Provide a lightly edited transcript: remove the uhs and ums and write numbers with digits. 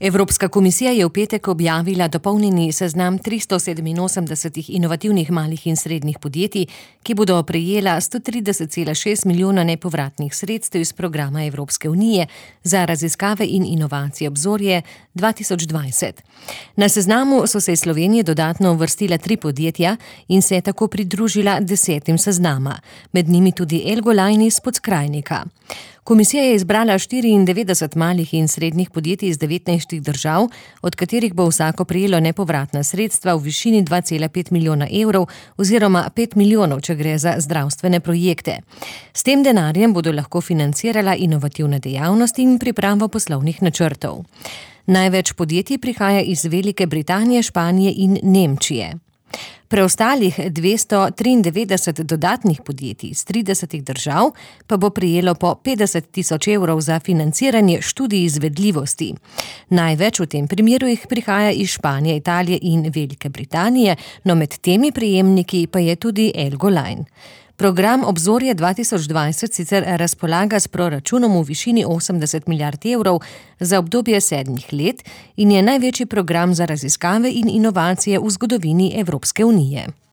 Evropska komisija je v petek objavila dopolnjeni seznam 387 inovativnih malih in srednjih podjetij, ki bodo prejela 130,6 milijona nepovratnih sredstev iz programa Evropske unije za raziskave in inovacije Obzorje 2020. Na seznamu so se iz Slovenije dodatno uvrstila 3 podjetja in se je tako pridružila 10 seznama, med njimi tudi Elgolajn iz Podskrajnika. Komisija je izbrala 94 malih in srednjih podjetij iz 19 držav, od katerih bo vsako prejelo nepovratna sredstva v višini 2,5 milijona evrov oziroma 5 milijonov, če gre za zdravstvene projekte. S tem denarjem bodo lahko financirala inovativne dejavnosti in pripravo poslovnih načrtov. Največ podjetij prihaja iz Velike Britanije, Španije in Nemčije. Preostalih 293 dodatnih podjetij iz 30 držav pa bo prejelo po 50.000 evrov za financiranje študij izvedljivosti. Največ v tem primeru jih prihaja iz Španije, Italije in Velike Britanije, no med temi prejemniki pa je tudi Elgolajn. Program Obzorje 2020 sicer razpolaga s proračunom v višini 80 milijard evrov za obdobje 7 let in je največji program za raziskave in inovacije v zgodovini Evropske unije.